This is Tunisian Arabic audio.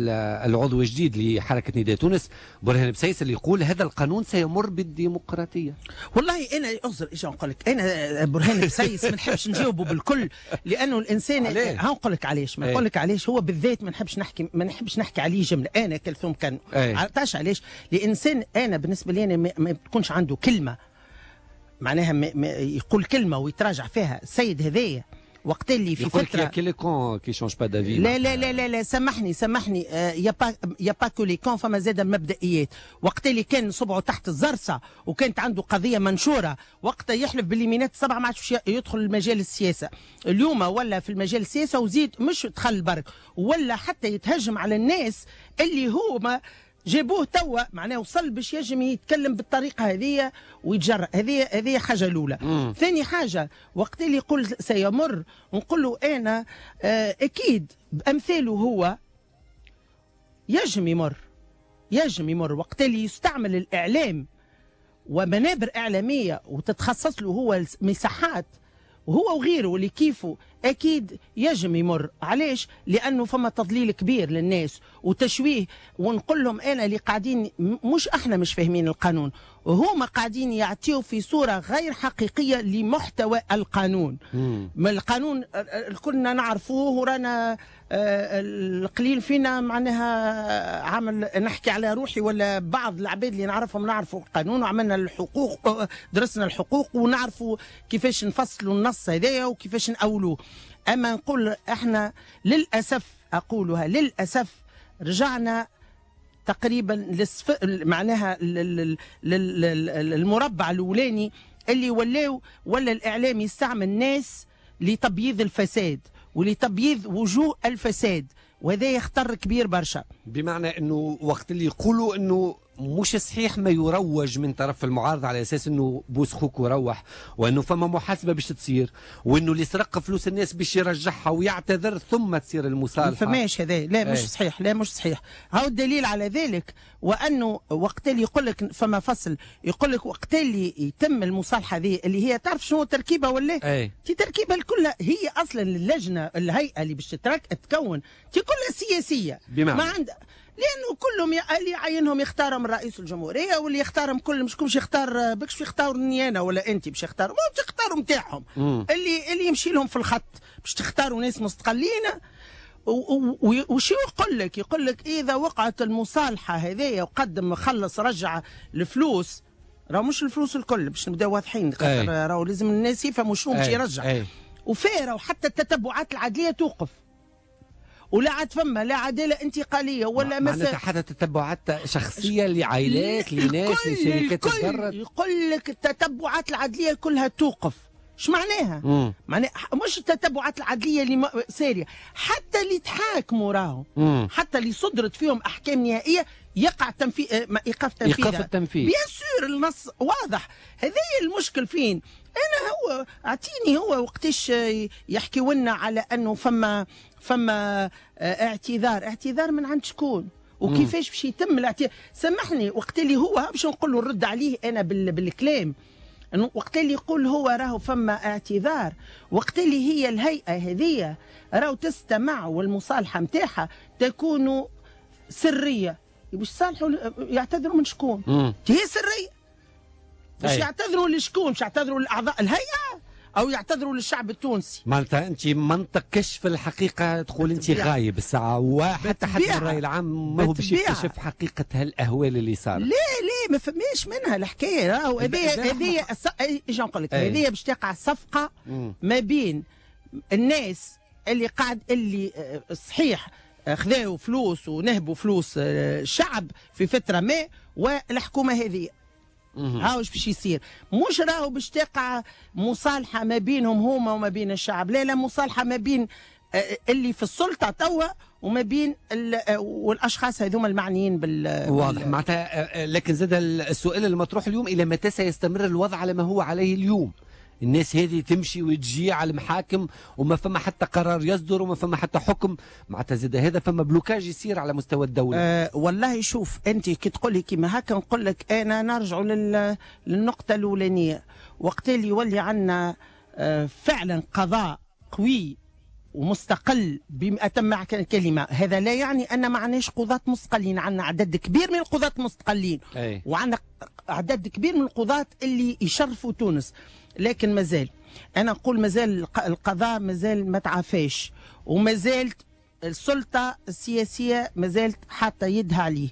العضو الجديد لحركة نداء تونس برهان بسيس اللي يقول هذا القانون سيمر بالديمقراطية. والله انا اعذر، ايش نقول لك، انا برهان بسيس ما نحبش نجاوبه بالكل، لانه الانسان، ها نقول لك علاش، ما نقول لك علاش هو بالذات ما نحبش نحكي عليه جمله. انا كلثوم كان عرفتش علاش؟ الانسان انا بالنسبة لي أنا ما تكونش عنده كلمه، معناها ما يقول كلمة ويتراجع فيها. السيد هذايا وقت اللي في فترة y a que les cons qui changent pas d'avis. لا لا لا لا لا، سامحني سامحني، y a pas que les cons، فما زاد مبدئيات. وقت اللي كان صبعه تحت الزرسه وكانت عنده قضية منشوره، وقتها يحلف باليمينات السبعة ما عادش يدخل المجال السياسه. اليوم ولا في المجال السياسة وزيد مش دخل برك، ولا حتى يتهجم على الناس اللي هو ما جابوه. توا معناه وصل باش يجم يتكلم بالطريقة هذه ويتجرأ. هذه حاجة الاولى. ثاني حاجه، وقت اللي يقول سيمر، نقول له انا اكيد بامثاله هو يجم يمر، يجم يمر وقت اللي يستعمل الاعلام ومنابر اعلامية وتتخصص له هو مساحات، وهو وغيره اللي كيفه، اكيد يجم يمر. علاش؟ لانه فما تضليل كبير للناس وتشويه. ونقول لهم انا اللي قاعدين، مش احنا مش فاهمين القانون، وهما قاعدين يعطيو في صوره غير حقيقية لمحتوى القانون. ما القانون كلنا نعرفوه، ورانا القليل فينا معناها عمل، نحكي على روحي ولا بعض العباد اللي نعرفهم، نعرفوا القانون وعملنا الحقوق، درسنا الحقوق ونعرفوا كيفاش نفصلوا النص هذايا وكيفاش نأولوه. اما نقول احنا للاسف، اقولها للاسف، رجعنا تقريبا معناها للمربع الاولاني اللي ولاو ولا الاعلام يستعمل ناس لتبييض الفساد ولتبييض وجوه الفساد، وهذا خطر كبير برشا. بمعنى انه وقت اللي يقولوا انه مش صحيح ما يروج من طرف المعارضة على اساس انه بوس خوك وروح، وانه فما محاسبه باش تصير، وانه اللي سرق فلوس الناس باش يرجعها ويعتذر ثم تصير المصالحه. ما فماش هذا، لا مش صحيح، لا مش صحيح. هاو الدليل على ذلك، وانه وقت اللي يقول لك فما فصل يقول لك وقت اللي يتم المصالحة هذه، اللي هي تعرف شنو تركيبه ولا؟ تي تركيبه الكل هي اصلا اللجنه، الهيئة اللي باش تتكون تي كلها سياسيه. بمعنى ما عند لانه كلهم اللي يعينهم يختارهم رئيس الجمهوريه، واللي يختارهم كل مش باش يختار بكش يختارني انا ولا انت باش يختاروا، ما تختاروا نتاعهم اللي يمشي لهم في الخط، باش تختاروا ناس مستقلين. وشو يقول لك؟ يقول لك اذا وقعت المصالحة هذيا وقدم خلص رجع الفلوس، راهو مش الفلوس الكل، باش نبداو واضحين، خاطر راهو لازم الناس يفهموا شنو باش يرجع. وفيه وحتى التتبعات العدليه توقف، ولا عاد فما لا عدالة انتقالية ولا مثلا حتى تتبعات شخصية لعائلات، لناس، لشركات. تضرت. يقول لك التتبعات العدليه كلها توقف. ايش معناها؟ معناها مش التتبعات العدليه اللي ساريه، حتى اللي تحاكموا راهو، حتى اللي صدرت فيهم احكام نهائية يقع تنفيذ، ايقاف تنفيذ. ايقاف التنفيذ. bien sûr، النص واضح. هذا المشكل فين؟ انا هو اعطيني هو وقتاش يحكيوا لنا على انه فما اعتذار، اعتذار من عند شكون؟ وكيفاش باش يتم الاعتذار؟ سامحني، وقت اللي هو باش نقول له نرد عليه انا بالكلام، وقت اللي يقول هو راهو فما اعتذار، وقت اللي هي الهيئة هذه راهو تستمع والمصالحة نتاعها تكون سريه، باش صالحوا يعتذروا من شكون؟ هي سريه، باش يعتذروا لشكون؟ باش يعتذروا لاعضاء الهيئة او يعتذروا للشعب التونسي؟ معناتها انت منطق كشف الحقيقة تقول انت غايب الساعه، وحتى الراي العام ما هو باش يكتشف حقيقة هالاهوال اللي صارت. لا لا، ما فماش منها الحكايه. راهو هذه ايش نقول لك، هذه باش تقع صفقة ما بين الناس اللي قاعد اللي صحيح خذاو فلوس ونهبوا فلوس الشعب في فترة ما، والحكومة هذه. هاو باش يصير، مش راهو باش تقع مصالحه ما بينهم هما وما بين الشعب، لا لا، مصالحه ما بين اللي في السلطة توا وما بين والاشخاص هذوما المعنيين بال واضح معناتها. لكن زاد السؤال المطروح اليوم، الى متى سيستمر الوضع على ما هو عليه اليوم؟ الناس هذه تمشي وتجي على المحاكم وما فما حتى قرار يصدر وما فما حتى حكم، معناتها زاد هذا فما blocage يصير على مستوى الدولة. والله شوف، انت كي تقول لي كيما هكا نقول لك انا نرجع للنقطة الاولانية، وقت اللي يولي عندنا فعلا قضاء قوي. ومستقل بأتم معنى الكلمة. هذا لا يعني أن ما عناش قضاة مستقلين، عندنا عدد كبير من القضاة المستقلين وعندنا عدد كبير من القضاة اللي يشرفوا تونس، لكن مازال أنا نقول مازال القضاء مازال ما تعافاش، ومازالت السلطة السياسية مازالت حاطة يدها عليه.